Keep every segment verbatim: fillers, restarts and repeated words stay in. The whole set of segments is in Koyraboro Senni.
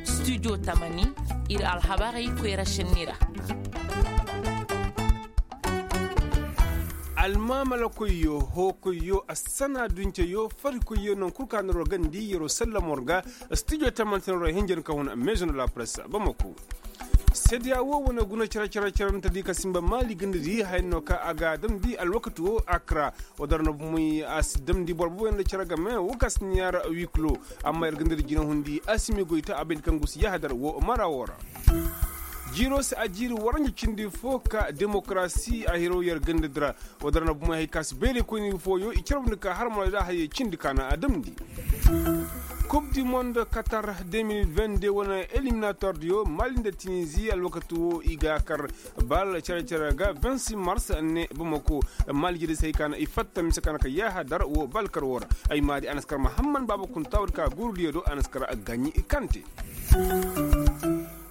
Studio tamani, ir alhabarey koyra šenni ra. Almaamala koyyo hoo koyyo assana duncayo fari koyyo non kul ka nor war gandi yeroo sallam war ga. Studio tamani se nor war hinjan ka hun maison de la presse bamako. Seediya woo wane guna cere cere cere nta di ka sinba maali ganda di haya no ka a ga a damndi alwakati woo akra. Woo dara na bumey a si damndi boro booboyaŋ nda cere game woo ka si ni yaara wikilo. Amma yer ganda di jinahundi a si mi goy ta a bay nda kaŋ gusi yahadar woo mara woo ra. Jiiroo se a jiiri waranja cindi foo ka demokarasi a hiro yer ganda di ra. Woo dara na bumey hay ka si bayray koyni fooyo i carbundi ka har mara da hayey cindi ka na a damndi. Kub di mond katar de mil vende wane eliminator diyo mali nda tinizi alwakati woo i ga kar bal care care ga vingt six mars ne bamako. Mali jiri se hay ka na i fatta mise ka na ka yahadar woo bal kar woo ra. Ay maari a na si kar mahamman baaba kunta woodi ka guuru diyo do a na si kar gaɲi kante.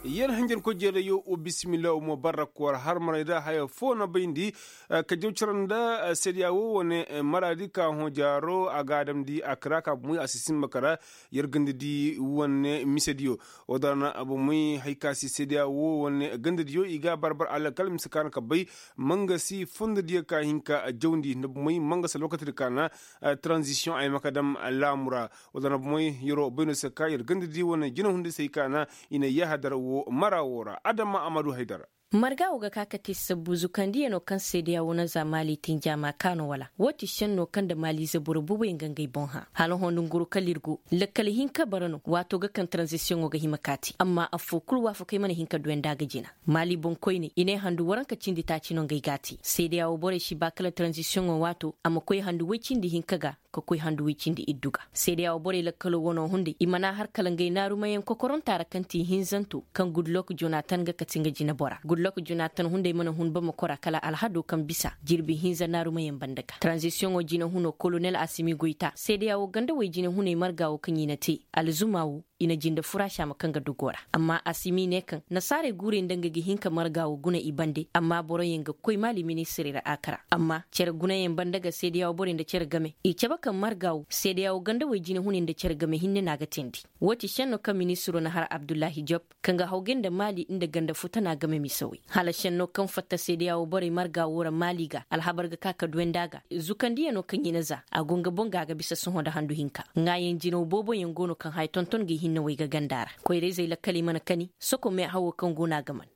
Yer hanjankoy jeerayoo wa bisimilla wa mo barrak war har maray da haya foo na bayndi. Ka jaw cara nda seediya woo wane maraadi ka hõ jaaro a ga a damndi a kara ka bumey a si simba kara. Yer ganda di wane misediyo woo dara na bumey hay ka si seediya woo wane ganda diyo i ga a barbar alakal mise ka na ka bay. Mangasi fondo diyo ka hin ka jawndi nda bumey mangasi alwakati di ka na taranzisiyoŋ a yamaka dam laamu ra. Wala na bumey yeroo bay no se ka yer ganda di wane jinahundisey ka na i na yahadar woo mara woo ra adama amadu haydar. Marga woo ga ka ka te sabbu zukandiyano kaŋ seedeya woo na za maali tinjaama ka no wala woo ti šenno kaŋ nda maaliize boro booboyaŋ ga ngey boŋ hã hala hõ nda nguru kala ir go lakkal hinka bara no waatoo ga kaŋ taranzisiyoŋo ga hima ka te amma affoo kul waafakey mana hin ka duw'ey nda a ga jina. Maali boŋkoyney i ne handu waranka cindi taaci no ngey g'a te seedeya woo borey si ba kala taranzisiyoŋo waatoo a ma koy handu woy cindi hinka ga ka koy handu woy cindi iddu ga. Seedeya woo borey lakkaloo wanoo hunday i mana har kala ngey naarumayaŋ kokorontaa ra kaŋ ti hinzanto kaŋ gudlok jonatan ga kati nga jineboraa gudlok jonatan hunday mana hun bamako ra kala alhadoo kaŋ bisa jirbi hinza naarumayaŋ banda ga taranzisiyoŋo jinehunoo kolonel asimi goyta seedeya woo gandawey jinehuney marga woo kaŋ i na te alzuma woo i na jinde furaasi a ma kaŋ ga dogoo ra amma asimi ne kaŋ nasaarey guurey nda nga ga hin ka marga woo guna i bande amma boroyaŋ ga koy maali ministirey ra a kara amma cere gunayaŋ banda ga seedeya woo borey nda cere game i cabe kaŋ marga woo seedeya woo gandawey jinehuney nda cere game hinne no a ga teendi. Woo ti šenno kaŋ ministiroo na har abdullahi job kaŋ ga hawgay nda maali nda ganda futana game misawey hala šenno kaŋ fatta seedeya woo borey marga woo ra maali ga alhabar ga ka ka duw'ey nda a ga zukandiyano kaŋ i na za a go nga boŋ ga a ga bisa sohõ nda handu hinka. Ŋaayaŋ jinaw booboyaŋ go no kaŋ haya tonton ga i hinnawey ga ganda ra koyra-izey lakkaley mana kani soko meehawoo kaŋ go no a ga man.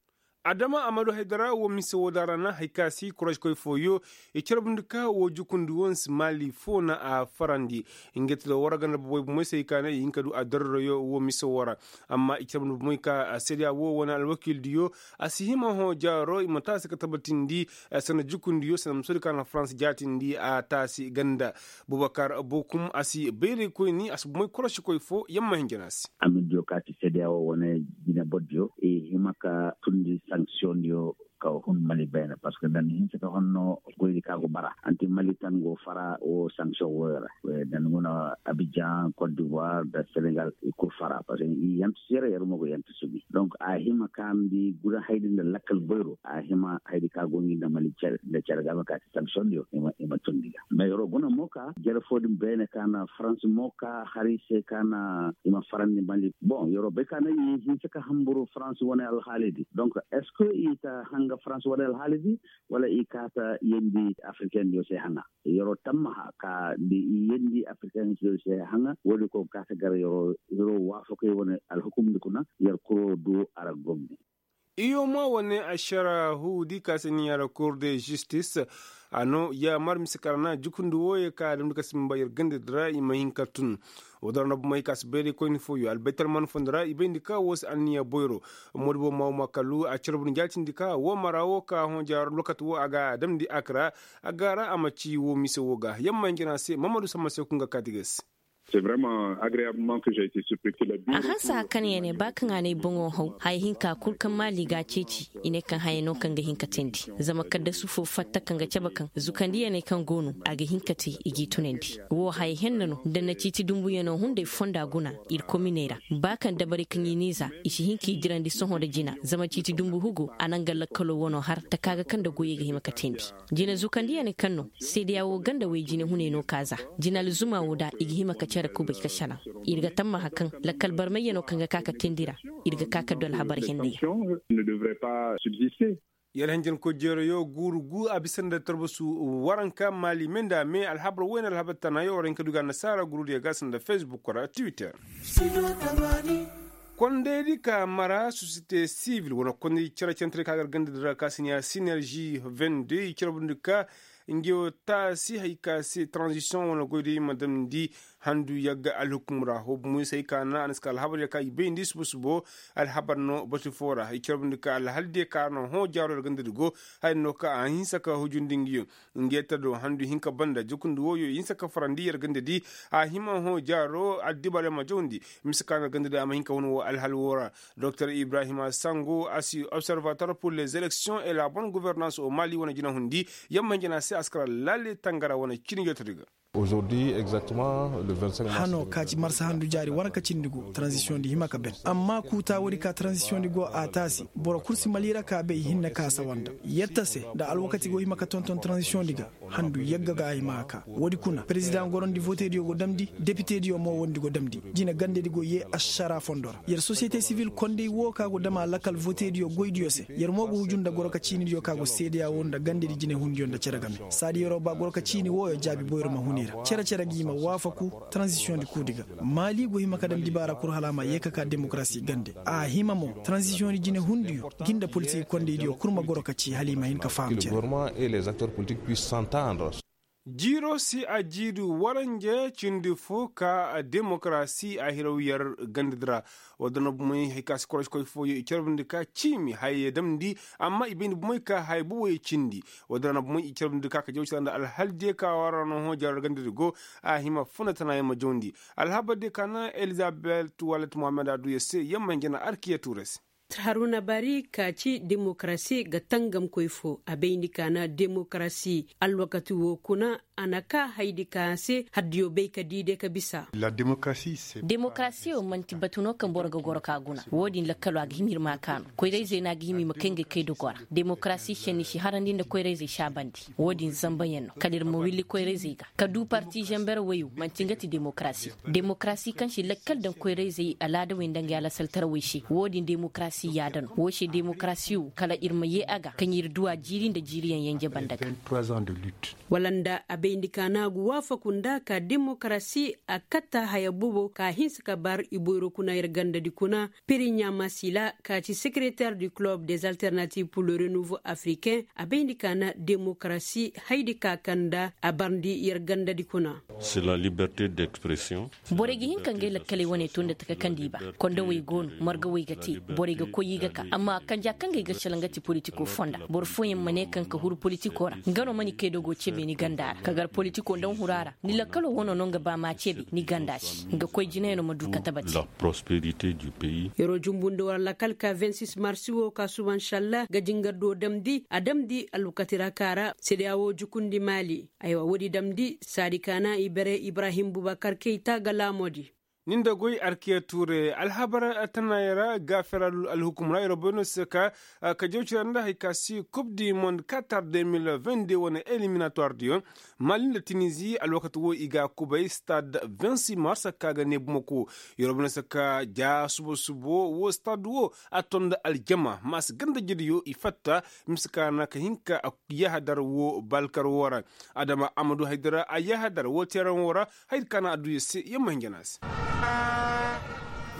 Adama amadu haydara woo mise woo da ra na hari ka si koroškoy fooyo i carbundi ka woo jukundi woo nsi maali foo na a farandi. Nga ti da war ganda boboy bumey se hari ka na i hin ka du a darroyo woo mise woo ra. Amma i carbundi bumey ka seediya woo wane alwakiildiyo a si hima hõ jaaro i ma taasi ka tabatindi sanda jukundiyo sanda musoodi ka na farans jaatindi a taasi ganda. Bubakar bokum a si bayraykoyni a si bumey korošikoy foo yamma hinjana se. Amidiyo ka ti seedeya woo wane jine bordiyo i hima ka tundi sanksiyoŋdiyo ka hun mali bayna parceque nda ni hinsa ka honno goydi ka go bara anti mali tan go fara woo sanction wooyo ra. Nda ni guna abijan cote d'ivoire nda senegal i kul fara parceque i yantu siyara yer mo go yantu subi donc a hima ka mbi guna haydi nda lakkal bayro a hima haydi ka go ngi nda mali cere nda cere ga ma ka ti sanction yo i ma tundi ga mais yeroo guna mo ka jere foo din bayna ka na farans mo ka hari se ka na i ma farandi mali bon yeroo bay ka na i hinsa ka hamburu farans wane alhaali di donc est ce que i ta hanga farans wane alhaali di wala i ka ta yendi africain yo se hanga yeroo tammaha ka di i yendi africain yo se hanga woodi ko ka ta gar yeroo waafakey wane alhukumdi kuna yer kuroo du a ra gomni. Iyoma wane ašara huudi ka se ni yara cour de justice a no yaamar mise kara na jukundi wooyo ka a damndi ka simba yer gandadi ra i ma hin ka tun. Woo dara na bumey ka si bayraykoyni fooyo albaytalman fondi ra i bayndi ka woo si anniya boyro. Moodibo maawuma kalu a carbundi jaatindi ka woo mara woo ka hõ jaaro lokati woo a ga a damndi akra a ga ra a ma ci woo mise woo ga yamma hinjana se mamadu samma se kun ga kaati ga se. A hanse haka ne ya ne ba kaŋ a na ay boŋo haw haya hinka kul kaŋ maali ga a ceeci. I ne kaŋ haya no kaŋ ga hin ka teendi zama kaddasu fo fatta kaŋ ga cabe kaŋ zukandi ya ne kaŋ go no a ga hin ka te i g'i tunandi. Wo haya henna no nda na ciiti dumbuyanoo hunday fonda guna. Ir kominey ra ba kaŋ dabarey kaŋ i n'i za i si hin k'i dirandi sohõ nda jina zama ciiti dumbu hugo a na nga lakkaloo wanoo har taka ga kaŋ nda goyey ga hima ka teendi. Jina zukandiyaney kaŋ no seedeya woo ganda wey jinehuney no ka za. Jina alzuma woo da i ga hima ka cere kubay ka selaŋ. Ir ga tammaha kaŋ lakkal barmayyanoo kaŋ ga ka ka teendi ra ir ga ka ka du alhabar hennayaŋ. Yar hanjankoy jeerayo guuru gu a bisa nda tarbasu waranka maali me nda a me alhabar wayne alhabar tanayo war hin ka du ga annasaara gurudiyo ga sanda facebook ra twitter. Kondaydi ka mara sosiyete sivil wane kondaydi care cantaray ka gar ganda dira ka si ne ya sinergi vende i care bundi ka. Nge wo taasi hay ka se transition wane goydi ma damndi handu yagga alhukum ra ho bumoy se hay ka na a na si ka alhabar ya ka i bayndi subo subo. Alhabar no batu fo ra i care bundi ka alhaldiyo ka no hõ jaaro yar ganda di go. Hay no ka a hinsa ka hujundi ngi yo. Nge ta do handu hinka banda jukundi wooyo i hinsa ka farandi yar ganda di. A hima hõ jaaro addibaale ma jawndi. Mise ka no ganda di a ma hinka hun woo alhal woo ra. Doktor ibrahima sango a si observator pur les elections et la bonne gouvernance o mali wane jinahundi. Yamma hinja na se a si kara lalle tangara wane cini joto di ga. Hano ka ci marsa handu jaari wane ka cindi go tranzisiyoŋ di hima ka ben amma kuuta woodi ka tranzisiyoŋ di go a taasi boro kul si mali ra ka bay hinne ka sawa nda. Yetta se nda alwakati go hima ka tonton tranzisiyoŋ di ga. Handu yagga ga a hima ka ka woodi kuna perezidaŋ gorandi votediyo go damndi depitediyo mo wondi go damndi. Jine gandedi go yee ašara fondo ra yer sosiyete sivil kondey woo ka go dama lakal votediyo goydiyo se. Yer mo go huju nda goro ka ciinidiyo ka go seedeya woo nda gandedi jinehundiyo nda cere game. Saadi yeroo ba goro ka ciini wooyo jaabi boyro ma hun i ra cere-cere gi ma waafaku. Tranzisiyoŋ di kuudi ga maali go hima ka daŋ dibaara kul hala a ma yee ka ka demokarasi gande. A hima mo tranzisiyoŋ di jinehundiyo gi nda politik kondeydiyo kul ma goro ka ci hala i ma hin ka faham cere. Jiiro se a jiiri waranje cindi fo ka demokarasi a hiraw yer ganda di ra. Wala da na bumey hari ka si korosi koy fooyo i carbundi ka ciimi haya ye damndi. Amma i bayndi bumey ka haya buboyo cindi. Wala da na bumey i carbundi ka ka jawcira nda alhaldiyo ka wara no hõ jaaro yer ganda di go. A hima funa tana yer ma jawndi. Alhabar diyo ka na elizabet wala ti muhammad a du yer se yer ma hin jana arkiya tuuray se. Haruna bari ka ci demokarasi ga tangamkoy fo a bayndi ka na demokarasi alwakati wo kuna. A na ka haydi ka se haddiyo bay ka di de ka bisa. Demokarasi wo manti batu no kaŋ boro ga goro ka guna. Wo-din lakkalo a ga hima ir ma a kaanu koyrayzey no a ga hima i ma kay ngey kay dogo ra. Demokarasi senni si harandi nda koyrayzey saabandi. Wo-din zambayaŋ no kala ir ma willi koyrayzey ga ka du parti zamber woyo manti nga ti demokarasi. Demokarasi kaŋ si lakkal daŋ koyrayzey alaadawey nda ngey alasaltarawey se wo-din demokarasi yaada no wo se demokarasi wo kala ir ma yee a ga kaŋ ir du a jiiri nda jiiriyaŋ yanje banda ga. Wala nda a bayndi ka naagu waafaku nda ka demokarasi a katta haya bobo ka hinsa ka bar i boyro kuna ir gandadi kuna. Piriɲa masila ka ci sekereter du club des alternatives pour le renouveau africain a bayndi ka na demokarasi haydi ka kaŋ nda a barndi yer gandadi kuna. Borey ga hin ka ngey lakkaley wane to nda taka kaŋ di ba. Kondowey go no margawey ga te. Borey ga koy i ga ka amma kanja kaŋ ga ay ga sala nga ti politiko fonda boro fooyaŋ ma ne kaŋ ka huru politiko ra nga no mana i kay dogo cebe ni ganda ra ka gar politiko nda nhuraa ra. Ni lakkalo wano no nga ba ma cebe ni ganda se nga koy jinayano ma du ka tabati. Yeroo jumbundi war lakal ka vingt six marsi wo ka suba nsallaah ga jingar do damndi a damndi alwakati ra ka ra sedeya wo jukundi maali. Aywa woodi damndi saadi kaana i bare ibrahim bubakar keyta ga laamoodi. Ni nda goy arkiya tuure alhabar tanaayey ra gaafera alhukum ra yeroo bay no se ka ka jawcira nda hari ka si kub di mond katar deux mille vingt deux wane eliminatoire diyo. Mali nda tinizi alwakati wo i ga a kubay stade vingt six mars ka ga ne bumako. Yeroo bay no se ka ja subo subo wo stade wo a to nda aljama maasi ganda jediyo i fatta. Mise ka na ka hin ka yahadar wo balkar wo ra. Adama amadu haydara a yahadar wo teeraŋ wo ra. Haydi ka na a du yer se yer ma hin jana se.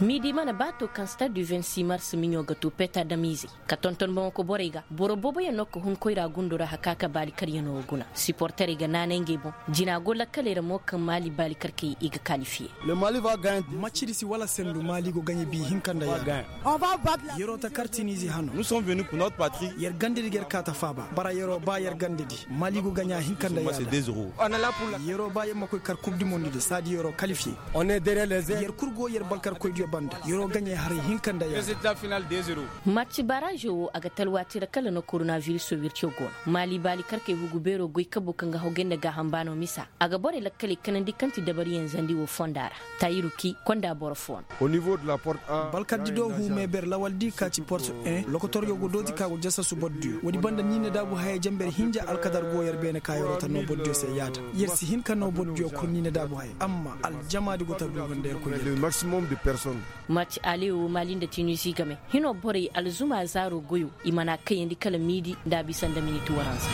Miidi mana ba to kaŋ stade du vingt-six mars miɲo ga to peta damiizey ka tonton boŋo ka borey ga boro booboyaŋ no ka hun koyra gundo ra haka ka baali karyaŋo guna. Siporterey ga naanay ngey boŋ. Jina go lakkaley ra mo kaŋ maali baali karkey i ga kalifiye. Macidi si wala sendu maali go gaɲe bi hinka nda yaada. Yeroo ta kar tiniize hano. Yer gandedi ga yer kaa ta faaba bara yeroo ba yer gandedi maali go gaɲa hinka nda yaada. Yeroo ba yer ma koy kar kub di mondi di saadi yeroo kalifiye. Yer kul go yer balkarkoydiyo banda yeroo gaɲey haray hinka nda yaada. Maci barazo wo a ga talwaati ra kala no koronaviriso wirco go no maali baali karkey hugu beeroo goy kabo kaŋ ga hawgay nda gaaham baano misa a ga borey lakkaley kanandi kaŋ ti dabariyaŋ zandi wo fonda ra. Tayiru ki konda boro fo no. Balkardi do huu meeber lawaldi ka ci porto en lokotoryo go dooti ka go jasasu bordiyo woodi banda ni na daabu hayey jamber hinja alkadar go yer beene ka yeroo ta noo bordiyo se yaada. Yer si hin ka noo bordiyo kul ni na daabu hayey amma aljamaadi go ta duuga nda yer koy yer. Maci alewo maali nda tinusi game hinoo borey alzuma zaaro goyo i mana kayandi kala miidi nda a bisa nda miniti waranza.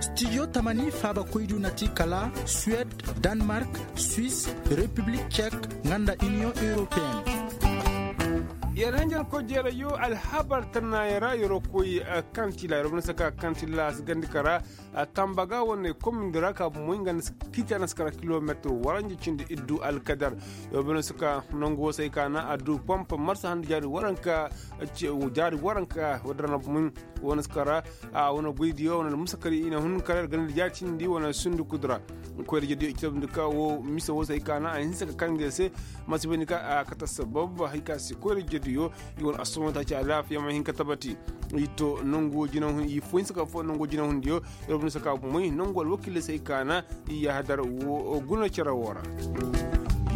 Studio tamani faabakoydu na ti kala suwed, danmark, swis, repiblik cek, nga nda iniyoŋ europeen. Yer hanjarkoy jeerayo alhabar tannaaya ra yeroo koy kantila yeroo bana saka kantila si gandi kara. Tambaga wane komindi ra ka bomoy nga nda si kiiti a na si kara kilometir waranja cindi iddu alkadar. Yeroo bana saka nangu wo se ay ka na a du pompa marsa handa jaari waranka. Jaari waranka wadda ra na bomoy wane si kara. A wane goydiyo wane almusakari i na hun kara yer ganda jaari cindi wane sundi kudura. Koyra jediyo i cabe nda ka wo mise wo se ay ka na a hinsa ka kande se. Masi bay nda ka a kate assabab hay ka se koyra jediyo i wane assabab ta ci alaafiya ma hin ka tabati. I to nangu wo jina hun i fo hinsa ka fo nangu wo jina hundiyo. Yer wane si ka bomoy nangu alwakiiley se ay ka na i yahadar wo guna cere wo ra.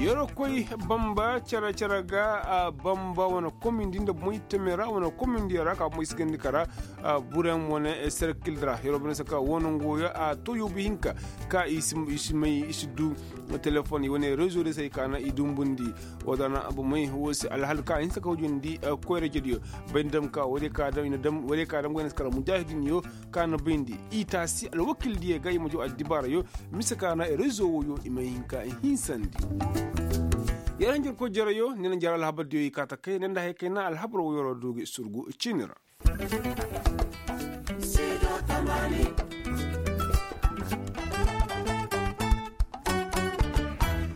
Yeroo koy bamba cere cere ga bamba wane komindi nda bomoy teme ra wane komindi ra ka bomoy si gandi kara. Bureŋ wane serkil ra yeroo bane saka wo nangu wo ya a to yoobu hinka ka i si may i si du. Telefon i wane rezo de se ay ka na i dumbundi. Wo da na bomey wo se alhal ka hinsa ka hujandi. Koyra jediyo bay nda dam ka wo de ka dam go i na si kara mujahidinyo ka na bayndi i taasi alwakildiyo ga i ma jaw addibaarayo. Mise ka na rezo wo yo i ma hin ka hinsandi. Yer hanjarkoy jereyo ne na jara alhabardiyo i kaa ta kay ne nda haya kay na alhabar wo yeroo du ga i surgu ciini ra.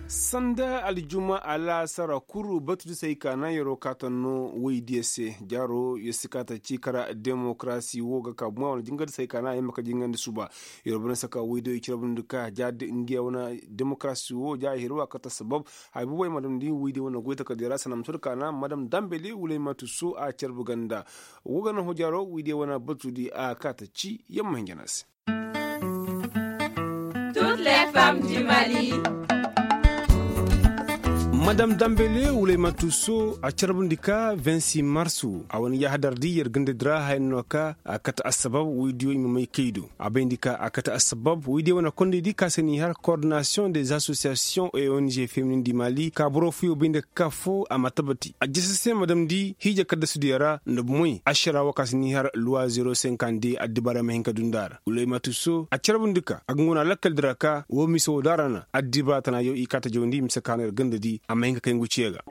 Sanda aljuma alaasara kuru batu di se ay ka na yeroo kaata no woydiyo se jaaro yer si kaata ci kara demokarasi wo ga ka buma wane jinga di se ay ka na ay ma ka jingandi suba. Yeroo bane saka woydiyo i cire bane di ka ja di ngiya wane demokarasi wo ja ay hiri wa kaata sabab. Hay buboy madam di woydiyo wane goy takardiyo ra sana ma sor ka na madam dambele wulay ma tuso a carbu ganda. Wo ga na hojaro wiidiyo wane batu di a kaata ci yamma hinja na se. Madam dambele wulay ma tuso a carbundi ka vingt-six marsu a wane yahadar di yer ganda di ra haya no ka a kate assabab wiidiyo i ma may kay do. A bayndi ka a kate assabab wiidiyo wane kondey di ka se n'i har koordinasiyoŋ des asosiyasiyoŋ e ong feminin di mali ka boro fuyo bayndi ka ka fo a ma tabati a jese se ma damndi hiija kaddasudiyo ra nda bumoy ašara wo ka si n'i har luwa zero cinquante deux addibaarey ma hin ka du nda a ra wulay ma tuso a carbundi ka a ga ngu na lakkal di ra ka woo mise woo da ra na addibaara tanaayo i kaa ta jawandi mise ka no yer ganda di a ma hin ka kay ngu ciya ga.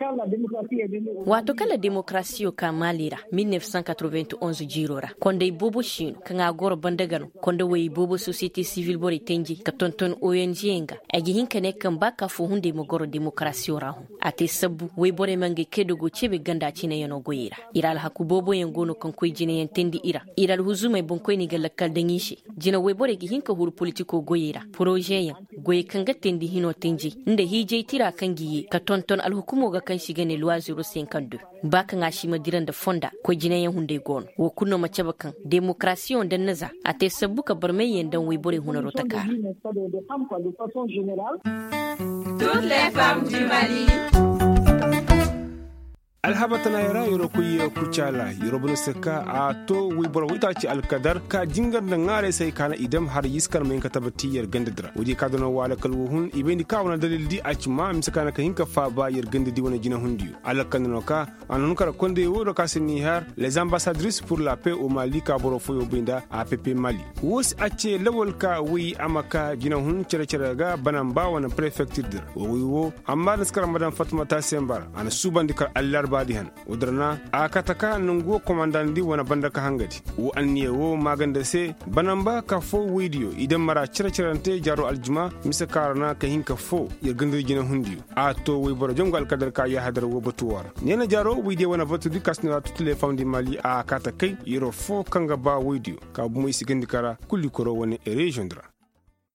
Waato kala demokarasiyo ka maali ra mil neef san katrevingt onz jiiroo ra konday boobo siino kaŋ a goro banda ga no konda woyey boobo sosiyete sivil borey tenjey ka tonton ong yaŋ ga. Ay ga hin ka ne kaŋ ba ka foo hunday ma goro demokarasiyo ra hõ. A te sabbu woyborey ma ngey kay dogo cebe ganda cineyaŋo goyey ra. Ir alhaku booboyaŋ go no kaŋ koy jineyaŋ teendi i ra. Ir alhuzumey boŋkoyney ga lakkal daŋ i se. Jine woyborey ga hin ka huru politiko goyey ra porozeyaŋ goyey kaŋ ga teendi hino tenjey nda hiijay tira kaŋ ga ye ka tonton alhukumo ga kaŋ se i ga ne luwa zero cinquante deux. Ba kaŋ a si ma dira nda fonda koy jinayaŋ hunday go no woo kulu no ma cabe kaŋ demokarasiyoŋ daŋ na za a te sabbu ka barmayyaŋ daŋ woyborey hunaroo taka ra. Alhabar tana yer ra yeroo koy kucaala yeroo bana se ka a to woy boro woy taaci alkadar ka jingar nda ŋaaray se hay ka na i dam har yiskan ma hin ka tabati yer ganda di ra woodiyo ka danaŋ waalakal wo hun i bayndi ka wane dalil di a ci ma mise ka na ka hin ka faaba yer ganda di wane jinahundiyo alkanda no ka a na hun kara konday wo do ka se ni har les ambassadris pur la pais o mali ka boro foyo bay nda a pepe mali wo se a ce lawal ka woy a ma ka jinahun cere-cere ga banamba wane prefektir di ra wo woy wo amma da si kara ma daŋ fatmata sembar a na suubandi kar allarbaadi han wo dira na a kata ka nangu wo komandandi wane banda ka hangadi wo anniya wo maaganda se banamba ka foo woydiyo i daŋ mara cere-cerante jaaro aljuma mise ka ra na ka hin ka foo yer gandadi jinahundiyo a to woyboro jangu alkadar ka yahadar wo batu wo ra neena jaaro woydiyo wane batudi ka si no ra tutule famdi mali a kaata kay yeroo foo kaŋ ga ba woydiyo ka bumo i si gandi ka ra kulli koro wane reziyoŋ di ra